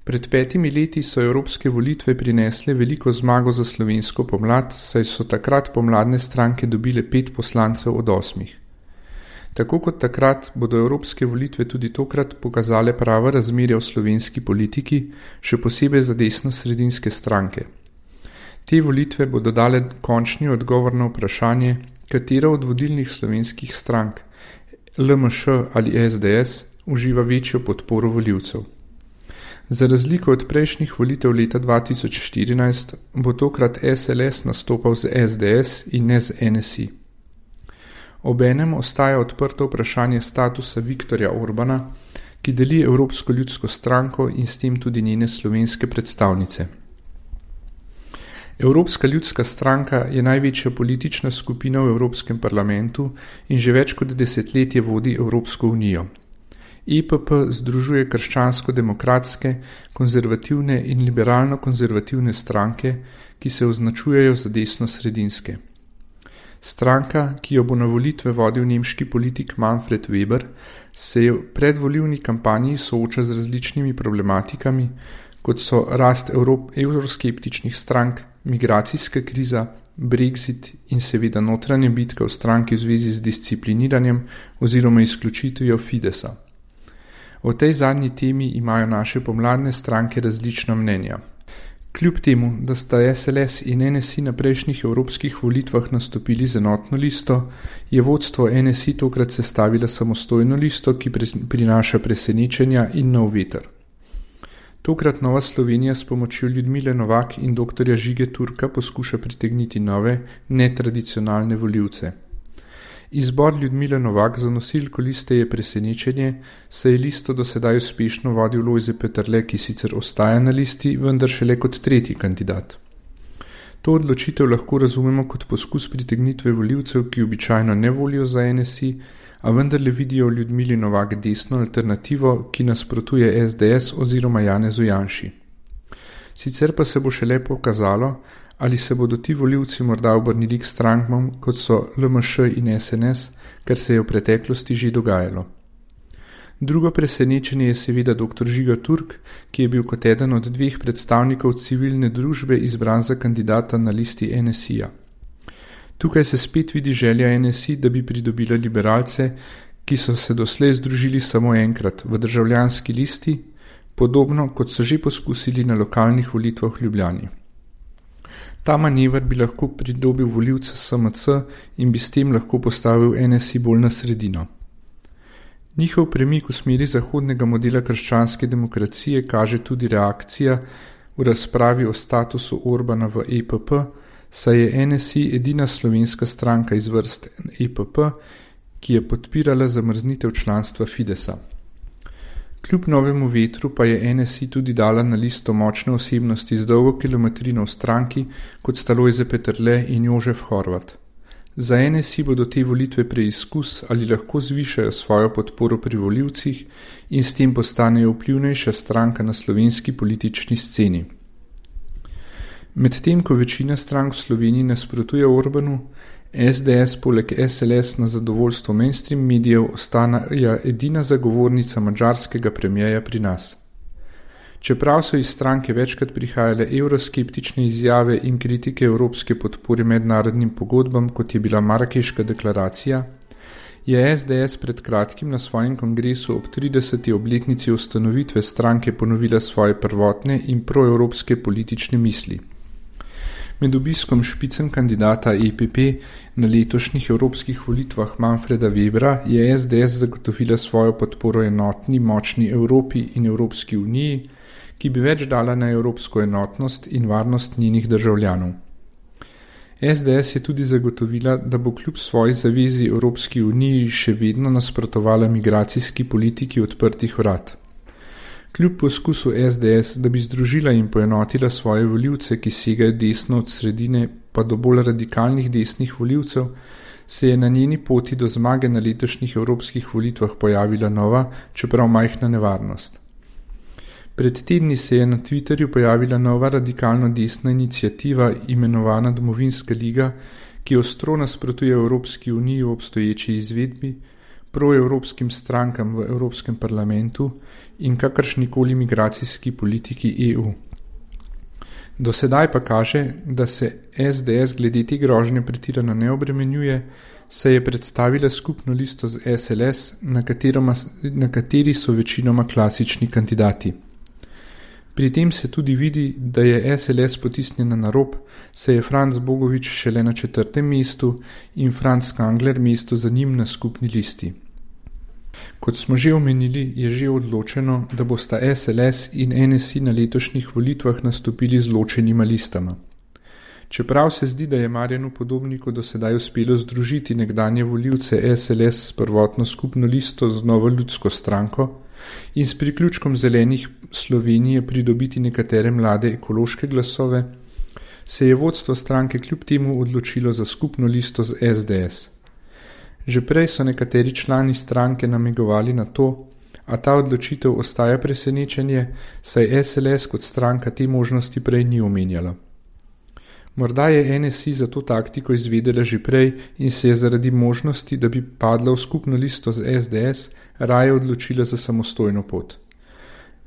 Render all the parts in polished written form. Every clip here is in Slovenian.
Pred 5 leti so evropske volitve prinesle veliko zmago za slovensko pomlad, saj so takrat pomladne stranke dobile 5 poslancev od 8. Tako kot takrat bodo evropske volitve tudi tokrat pokazale prava razmerja v slovenski politiki, še posebej za desno-sredinske stranke. Te volitve bodo dale končni odgovor na vprašanje, katera od vodilnih slovenskih strank, LMŠ ali SDS, uživa večjo podporo volivcev. Za razliko od prejšnjih volitev leta 2014 bo tokrat SLS nastopal z SDS in ne z NSI. Obenem ostaja odprto vprašanje statusa Viktorja Orbana, ki deli Evropsko ljudsko stranko in s tem tudi njene slovenske predstavnice. Evropska ljudska stranka je največja politična skupina v Evropskem parlamentu in že več kot desetletje vodi Evropsko unijo. EPP združuje krščansko-demokratske, konzervativne in liberalno-konzervativne stranke, ki se označujejo za desno-sredinske. Stranka, ki jo bo na volitve vodil nemški politik Manfred Weber, se v predvolilni kampanji sooča z različnimi problematikami, kot so rast evroskeptičnih strank, migracijska kriza, Brexit in seveda notranja bitka v stranki v zvezi z discipliniranjem oziroma izključitvijo Fidesa. O tej zadnji temi imajo naše pomladne stranke različna mnenja. Kljub temu, da sta SLS in NSI na prejšnjih evropskih volitvah nastopili z enotno listo, je vodstvo NSI tokrat sestavila samostojno listo, ki prinaša presenečenja in nov veter. Tokrat Nova Slovenija s pomočjo Ljudmile Novak in dr. Žige Turka poskuša pritegniti nove, netradicionalne volivce. Izbor Ljudmile Novak za nosilko liste je presenečenje, saj je listo do sedaj uspešno vodil Lojze Peterle, ki sicer ostaja na listi, vendar šele kot 3. kandidat. To odločitev lahko razumemo kot poskus pritegnitve volivcev, ki običajno ne volijo za NSI, a vendarle vidijo v Ljudmili Novak desno alternativo, ki nasprotuje SDS oziroma Janezu Janši. Sicer pa se bo šele pokazalo, ali se bodo ti volivci morda obrnili k strankam, kot so LMŠ in SNS, kar se je v preteklosti že dogajalo. Drugo presenečenje je seveda dr. Žiga Turk, ki je bil kot eden od 2 predstavnikov civilne družbe izbran za kandidata na listi NSI-ja. Tukaj se spet vidi želja NSI, da bi pridobila liberalce, ki so se doslej združili samo enkrat v državljanski listi, podobno kot so že poskusili na lokalnih volitvah v Ljubljani. Ta manever bi lahko pridobil volivce SMC in bi s tem lahko postavil NSI bolj na sredino. Njihov premik v smeri zahodnega modela krščanske demokracije kaže tudi reakcija v razpravi o statusu Orbana v EPP, saj je NSI edina slovenska stranka iz vrst EPP, ki je podpirala zamrznitev članstva Fidesa. Kljub novemu vetru pa je NSI tudi dala na listo močne osebnosti z dolgo kilometrino v stranki, kot sta Lojze Peterle in Jožef Horvat. Za NSI bodo te volitve preizkus, ali lahko zvišajo svojo podporo pri volivcih in s tem postanejo vplivnejša stranka na slovenski politični sceni. Medtem ko večina strank v Sloveniji nasprotuje Orbanu, SDS poleg SLS na zadovoljstvo mainstream medijev ostaja edina zagovornica madžarskega premijeja pri nas. Čeprav so iz stranke večkrat prihajale evroskeptične izjave in kritike evropske podpore mednarodnim pogodbam, kot je bila Marakeška deklaracija, je SDS pred kratkim na svojem kongresu ob 30. obletnici ustanovitve stranke ponovila svoje prvotne in proevropske politične misli. Med obiskom špicen kandidata EPP na letošnjih evropskih volitvah Manfreda Webera je SDS zagotovila svojo podporo enotni, močni Evropi in Evropski uniji, ki bi več dala na evropsko enotnost in varnost njenih državljanov. SDS je tudi zagotovila, da bo kljub svoji zavezi Evropski uniji še vedno nasprotovala migracijski politiki odprtih vrat. Kljub poskusu SDS, da bi združila in poenotila svoje volivce, ki segajo desno od sredine pa do bolj radikalnih desnih volivcev, se je na njeni poti do zmage na letošnjih evropskih volitvah pojavila nova, čeprav majhna nevarnost. Pred tedni se je na Twitterju pojavila nova radikalno desna iniciativa imenovana Domovinska liga, ki ostro nasprotuje Evropski uniji v obstoječi izvedbi, proevropskim strankam v Evropskem parlamentu in kakršnikoli migracijski politiki EU. Do sedaj pa kaže, da se SDS glede te grožnje pretirano ne obremenjuje, saj je predstavila skupno listo z SLS, na kateri so večinoma klasični kandidati. Pri tem se tudi vidi, da je SLS potisnjena na rob, saj je Franc Bogovič šele na 4. mestu in Franc Kangler mesto za njim na skupni listi. Kot smo že omenili, je že odločeno, da bosta SLS in NSI na letošnjih volitvah nastopili z ločenima listama. Čeprav se zdi, da je Marjanu Podobniku do sedaj uspelo združiti nekdanje volivce SLS s prvotno skupno listo z Novo ljudsko stranko in s priključkom Zelenih Slovenije pridobiti nekatere mlade ekološke glasove, se je vodstvo stranke kljub temu odločilo za skupno listo z SDS. Že prej so nekateri člani stranke namigovali na to, a ta odločitev ostaja presenečenje, saj SLS kot stranka te možnosti prej ni omenjala. Morda je NSI za to taktiko izvedela že prej in se je zaradi možnosti, da bi padla v skupno listo z SDS, raje odločila za samostojno pot.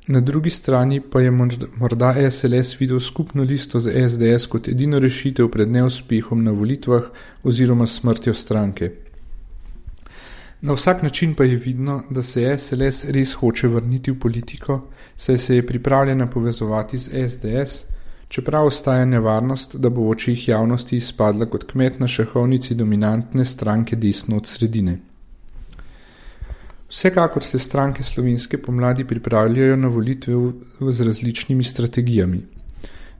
Na drugi strani pa je morda SLS videl skupno listo z SDS kot edino rešitev pred neuspehom na volitvah oziroma smrtjo stranke. Na vsak način pa je vidno, da se SLS res hoče vrniti v politiko, saj se je pripravljena povezovati z SDS, čeprav ostaja nevarnost, da bo v očih javnosti izpadla kot kmet na šahovnici dominantne stranke desno od sredine. Vsekakor se stranke slovenske pomladi pripravljajo na volitve z različnimi strategijami.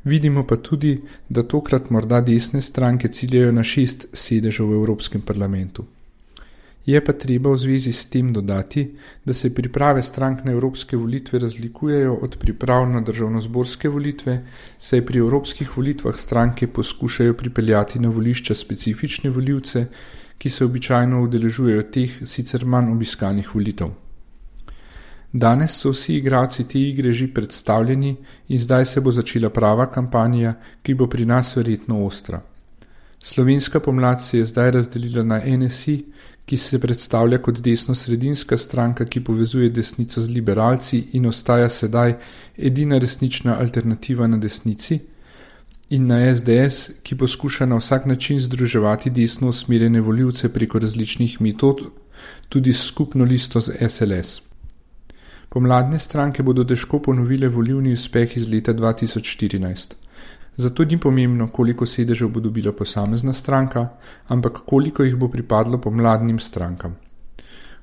Vidimo pa tudi, da tokrat morda desne stranke ciljajo na 6 sedežev v Evropskem parlamentu. Je pa treba v zvezi s tem dodati, da se priprave strank na evropske volitve razlikujejo od priprav na državnozborske volitve, saj pri evropskih volitvah stranke poskušajo pripeljati na volišča specifične volivce, ki se običajno udeležujejo teh sicer manj obiskanih volitev. Danes so vsi igralci te igre že predstavljeni in zdaj se bo začela prava kampanja, ki bo pri nas verjetno ostra. Slovenska pomlad se je zdaj razdelila na NSI, ki se predstavlja kot desno-sredinska stranka, ki povezuje desnico z liberalci in ostaja sedaj edina resnična alternativa na desnici, in na SDS, ki poskuša na vsak način združevati desno usmerjene volivce preko različnih metod, tudi skupno listo z SLS. Pomladne stranke bodo težko ponovile volilni uspeh iz leta 2014. Zato ni pomembno, koliko sedežev bo dobila posamezna stranka, ampak koliko jih bo pripadlo pomladnim strankam.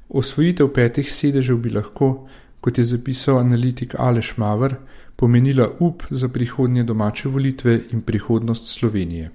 Osvojitev 5 sedežev bi lahko, kot je zapisal analitik Aleš Maver, pomenila up za prihodnje domače volitve in prihodnost Slovenije.